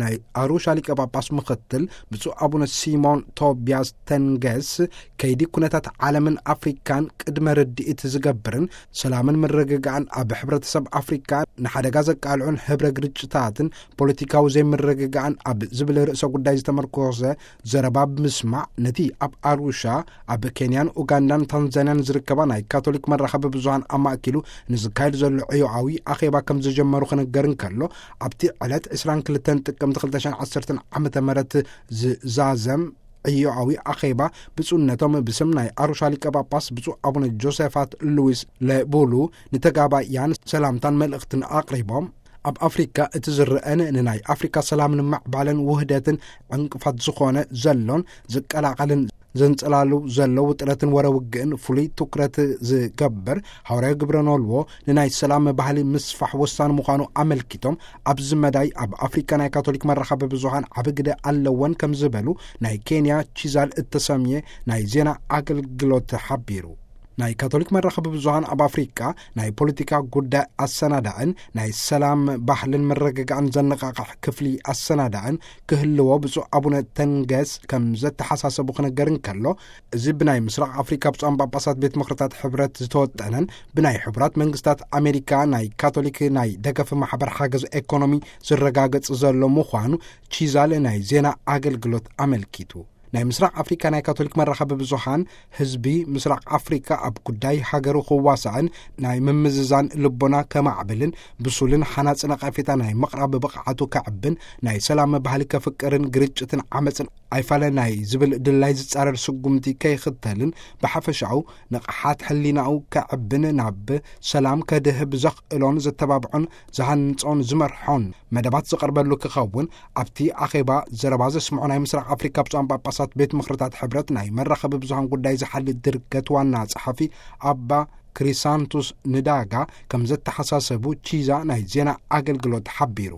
ናይ ኣሩሻ ሊቀ ጳጳስ ምኽትል ብፁዕ ኣቡነ ሲሞን ቶቢያስ ተንገስ፣ ከይዲ ኩነታት ዓለምን ኣፍሪካን ቅድመ ርድኢት ዝገብርን ሰላምን ምርግጋእን ኣብ ሕብረተሰብ ኣፍሪካ ንሓደጋ ዘቃልዑን ህብረ ግርጭታትን ፖለቲካዊ ዘይምርግጋእን ኣብ ዝብል ርእሰ ጉዳይ ዝተመርኮሰ ዘረባ ብምስማዕ፣ ነቲ ኣብ ኣሩሻ ኣብ ኬንያን ኡጋንዳን ታንዛንያን ዝርከባ ናይ ካቶሊክ መራኸቢ ብዙሃን ኣማእኪሉ ንዝካየድ ዘሎ ዕዮኣዊ ኣኼባ ከም ዝጀመሩ ክንገር እንከሎ፣ ኣብቲ ዕለት ዕስራን ክልተን ጥቅምቲ ክልተ ሽሕን ዓሰርተን ዓመተ ምህረት ዝዛዘም ዕዮኣዊ ኣኼባ፣ ብፁዕነቶም ብስም ናይ ኣሩሻ ሊቀ ጳጳስ ብፁዕ ኣቡነ ጆሴፋት ሉዊስ ለቡሉ ንተጋባእያን ሰላምታን መልእኽትን ኣቕሪቦም፣ ኣብ ኣፍሪካ እቲ ዝረአን ንናይ ኣፍሪካ ሰላም ንምዕባለን ውህደትን ዕንቅፋት ዝኾነ ዘሎን ዝቀላቐልን ዘንጸላሉ ዘሎ ውጥረትን ወረ ውግእን ፍሉይ ትኩረት ዝገብር ሃዋርያዊ ግብረ ኖልዎ ንናይ ሰላም ባህሊ ምስፋሕ ወሳኒ ምዃኑ ኣመልኪቶም፣ ኣብዚ መዳይ ኣብ ኣፍሪካ ናይ ካቶሊክ መራኸቢ ብዙሃን ዓቢ ግደ ኣለወን ከም ዝበሉ ናይ ኬንያ ቺዛል እተሰምየ ናይ ዜና ኣገልግሎት ሓቢሩ። ናይ ካቶሊክ መራኸቢ ብዙሃን ኣብ ኣፍሪካ ናይ ፖለቲካ ጉዳይ ኣሰናዳእን ናይ ሰላም ባህልን ምርግጋእን ዘነቃቕሕ ክፍሊ ኣሰናዳእን ክህልዎ ብፁዕ ኣቡነ ተንገስ ከም ዘተሓሳሰቡ ክነገር እንከሎ፣ እዚ ብናይ ምስራቕ ኣፍሪካ ብፁዓን ጳጳሳት ቤት ምኽርታት ሕብረት ዝተወጠነን ብናይ ሕቡራት መንግስታት ኣሜሪካ ናይ ካቶሊክ ናይ ደገፍ ማሕበር ሓገዝ ኤኮኖሚ ዝረጋገጽ ዘሎ ምዃኑ ቺዛል ናይ ዜና ኣገልግሎት ኣመልኪቱ። ናይ ምስራቕ ኣፍሪካ ናይ ካቶሊክ መራኸቢ ብዙሃን ህዝቢ ምስራቕ ኣፍሪካ ኣብ ጉዳይ ሃገሩ ክዋሳእን ናይ ምምዝዛን ልቦና ከማዕብልን ብሱልን ሓናጺ ነቐፌታ ናይ ምቕራብ ብቕዓቱ ከዕብን ናይ ሰላም ባህሊ ከፍቅርን ግርጭትን ዓመፅን ኣይፋለ ናይ ዝብል ድላይ ዝጻረር ስጉምቲ ከይኽተልን ብሓፈሻኡ ንቕሓት ሕሊናኡ ከዕብን ናብ ሰላም ከድህብ ዘኽእሎን ዘተባብዖን ዝሃንጾን ዝመርሖን መደባት ዝቐርበሉ ክኸውን ኣብቲ ኣኼባ ዘረባ ዘስምዑ ናይ ምስራቕ ኣፍሪካ ብፁዓን ጳጳሳት ቤት ምኽርታት ሕብረት ናይ መራኸቢ ብዙሃን ጉዳይ ዝሓሊ ድርገት ዋና ጸሓፊ ኣባ ክሪሳንቱስ ንዳጋ ከም ዘተሓሳሰቡ ቺዛ ናይ ዜና ኣገልግሎት ሓቢሩ።